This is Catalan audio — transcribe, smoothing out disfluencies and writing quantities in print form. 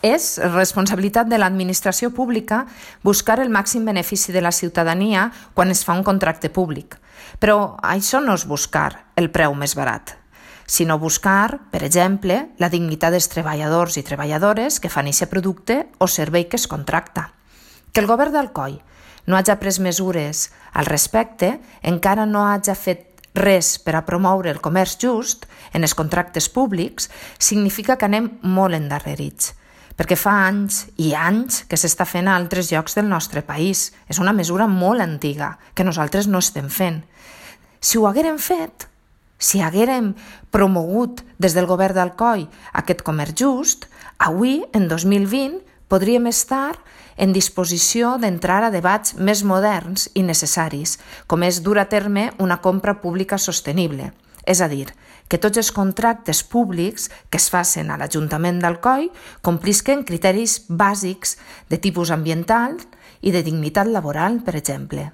És responsabilitat de l'administració pública buscar el màxim benefici de la ciutadania quan es fa un contracte públic. Però això no és buscar el preu més barat, sinó buscar, per exemple, la dignitat dels treballadors i treballadores que fan aquest producte o servei que es contracta. Que el govern d'Alcoi no hagi pres mesures al respecte, encara no hagi fet res per a promoure el comerç just en els contractes públics, significa que anem molt endarrerits, perquè fa anys i anys que s'està fent a altres llocs del nostre país. És una mesura molt antiga, que nosaltres no estem fent. Si ho haguérem fet, si haguérem promogut des del govern d'Alcoi aquest comerç just, avui, en 2020, podríem estar en disposició d'entrar a debats més moderns i necessaris, com és dur a terme una compra pública sostenible. És a dir, que tots els contractes públics que es facin a l'Ajuntament d'Alcoi complisquen criteris bàsics de tipus ambiental i de dignitat laboral, per exemple.